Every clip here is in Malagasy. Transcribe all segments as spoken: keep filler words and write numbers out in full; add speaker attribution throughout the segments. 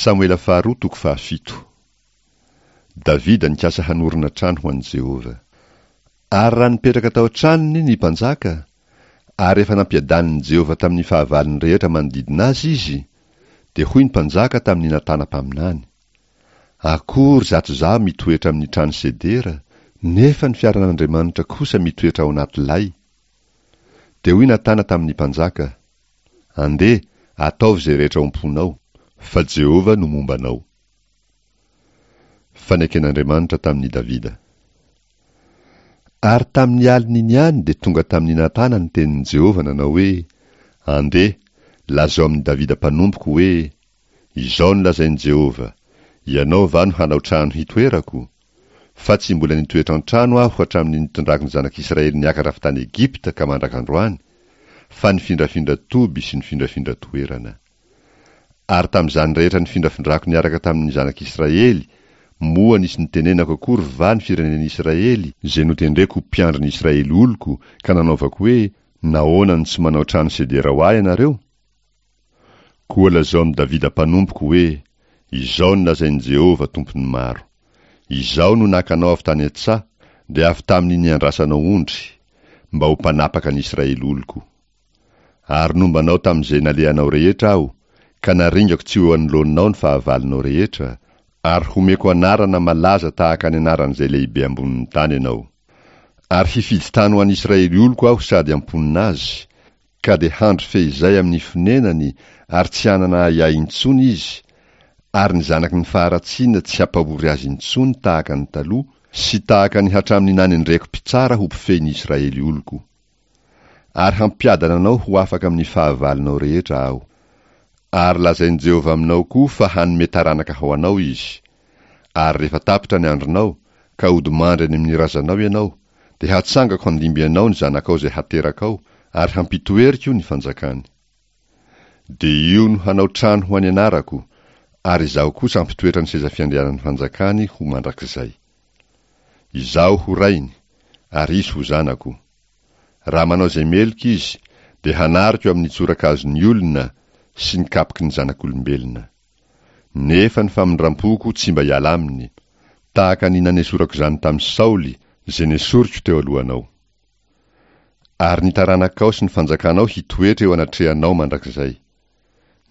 Speaker 1: Samoela faharoa toko fahafito. Davida nikasa hanorina trano ho an'i Jehovah. Ary raha nipetraka tao an-tranony ny mpanjaka, ary efa nampiadanin'i Jehovah tamin'ny fahavalony rehetra manodidina azy izy, dia hoy ny mpanjaka tamin'i Natana mpaminany, Akory izato izaho mitoetra amin'ny trano sedera, nefa ny fiaran'Andriamanitra kosa mitoetra ao anaty lay. Dia hoy Natana tamin'ny mpanjaka, Andeha, ataovy izay rehetra ao am-ponao, fa Jehovah no momba anao. Faneken'Andriamanitra tamin'i Davida. Ary tamin'ny alin'iny ihany dia tonga tamin'i Natana ny tenin'i Jehovah nanao hoe, Andeha, lazao amin'i Davida mpanompoko hoe, Izao no lazain'i Jehovah, Ianao va no hanao trano hitoerako? Fa tsy mbola nitoetra an-trano aho hatramin'ny nitondrako ny zanak'Israely niakatra avy tany Egypta ka mandraka androany, fa nifindrafindra toby sy nifindrafindra toerana. Ary tamin'izany rehetra nifindrafindrako niaraka tamin'ny zanak'Israely, moa nisy nitenenako akory va ny firenen'Israely, izay notendreko ho mpiandry ny Israely oloko, ka nanaovako hoe, Nahoana no tsy manao trano sedera ho ahy ianareo? Koa lazao amin'i Davida mpanompoko hoe, Izao no lazain'i Jehovah, Tompon'ny maro, Izaho no naka anao avy tany an-tsaha, dia avy tamin'ny niandrasanao ondry, mba ho mpanapaka ny Israely oloko. Ary nomba anao tamin'izay nalehanao rehetra Aho, ka naringako tsy ho eo anoloanao ny fahavalonao rehetra, ary homeko anarana malaza tahaka ny anaran'izay lehibe ambonin'ny tany ianao. Ary hifidy tany ho an'Israely oloko Aho sady hamponina azy, ka dia handry fehizay amin'ny fonenany ary tsy hanana ahiahy intsony izy, ary ny zanaky ny faharatsiana tsy hampahory azy intsony tahaka ny taloha, sy tahaka ny hatramin'ny nanendreko mpitsara ho mpifehy ny Israely oloko. Ary hampiadana anao ho afaka amin'ny fahavalonao rehetra Aho. Ary lazain'i Jehovah aminao koa fa hanome taranaka ho anao Izy. Ary rehefa tapitra ny andronao, ka hodimandry any amin'ny razanao ianao, dia hatsangako handimby anao ny zanakao izay haterakao, ary hampitoeriko ny fanjakany. Dia io no hanao trano ho an'ny anarako, ary Izaho kosa hampitoetra ny seza fiandrianan'ny fanjakany ho mandrakizay. Izaho ho rainy, ary izy ho zanako. Raha manao izay meloka izy, dia hanariko amin'ny tsorakazon'ny olona sy ny kapoky ny zanak'olombelona. Nefa ny famindram-poko tsy mba hiala aminy, tahaka ny nanesorako izany tamin'i Saoly, izay nesoriko teo alohanao. Ary ny taranakao sy ny fanjakanao hitoetra eo anatrehanao mandrakizay.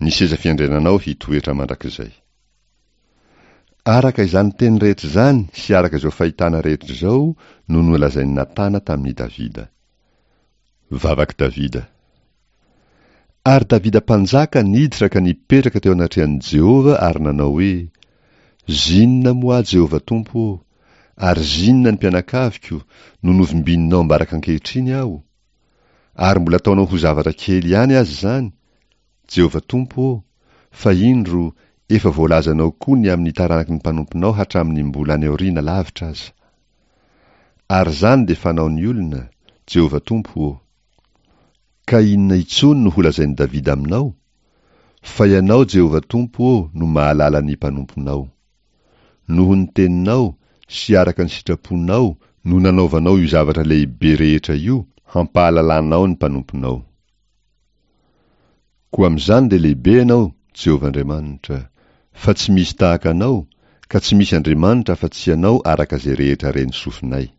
Speaker 1: Ny seza fiandriananao hitoetra mandrakizay. Araka izany teny rehetra izany sy araka izao fahitana rehetra izao no nolazain'i Natana tamin'i Davida. Vavak'i Davida. Ary Davida mpanjaka niditra ka nipetraka teo anatrehan'i Jehovah ary nanao hoe, Zinona moa aho, Jehovah Tompo ô, ary zinona ny mpianakaviko no novimbininao ambaraka ankehitriny aho? Ary mbola ataonao ho zavatra kely ihany aza izany, Jehovah Tompo ô, fa indro, efa voalazanao koa ny amin'ny taranaky ny mpanomponao hatramin'ny mbola any aoriana lavitra aza. Ary izany dia fanaon'ny olona, Jehovah Tompo ô. Ka inona intsony no holazain'i Davida aminao? Fa Ianao, Jehovah Tompo ô, no mahalala ny mpanomponao. Noho ny teninao sy araka ny sitraponao no nanaovanao io zavatra lehibe rehetra io, hampahalalanao ny mpanomponao. Koa amin'izany dia lehibe Ianao, Jehovah Andriamanitra, fa tsy misy tahaka Anao, ka tsy misy Andriamanitra afa-tsy Ianao araka izay rehetra ren'ny sofinay.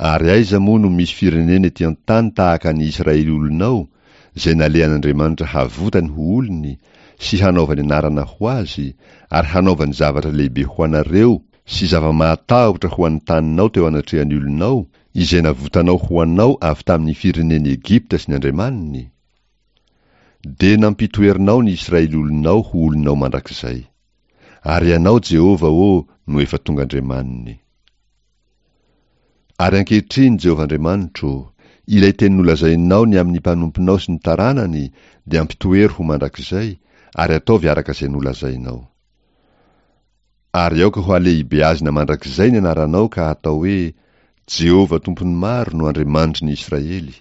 Speaker 1: Ary aiza moa no misy firenena ety an-tany tahaka ny Israely olonao, izay nalehan'Andriamanitra havotany ho olony, sy hanaovany anarana ho azy, ary hanaovany zavatra lehibe ho anareo sy zava-mahatahotra ho an'ny taninao teo anatrehan'ny olonao, izay navotanao ho anao avy tamin'ny firenen'i Egypta sy ny andriamaniny? Dia nampitoerinao ny Israely olonao ho olonao mandrakizay. Ary Ianao, Jehovah ô, no efa tonga Andriamaniny. Ary ankehitriny, Jehovah Andriamanitro ô, ilay teny nolazainao ny amin'ny mpanomponao sy ny taranany dia ampitoero ho mandrakizay, ary ataovy araka izay nolazainao. Ary aoka ho halehibeazina mandrakizay ny anaranao ka hatao hoe, Jehovah Tompon'ny maro no Andriamanitry ny Israely,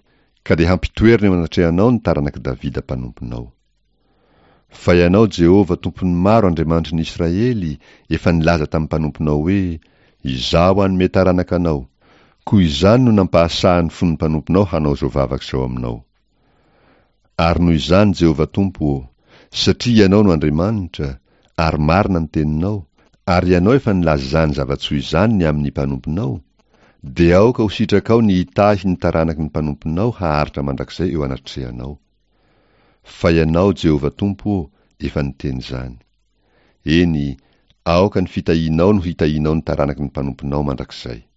Speaker 1: ka dia hampitoerina eo anatrehanao ny taranak'i Davida mpanomponao. Fa Ianao, Jehovah Tompon'ny maro Andriamanitry ny Israely, efa nilaza tamin'ny mpanomponao hoe, Izaho hanome taranaka anao. Koa izany no nampahasahy ny fon'ny mpanomponao hanao izao vavaka izao aminao. Ary noho izany, Jehovah Tompo ô, Satria Ianao no Andriamanitra, ary marina ny teninao, ary Ianao efa nilaza izany zava-tsoa izany ny amin'ny mpanomponao, dia aoka ho sitrakao ny hitahy ny taranaky ny mpanomponao haharitra mandrakizay eo anatrehanao. Fa Ianao, Jehovah Tompo ô, efa niteny izany. Eny, aoka ny fitahianao no hitahianao ny taranaky ny mpanomponao mandrakizay.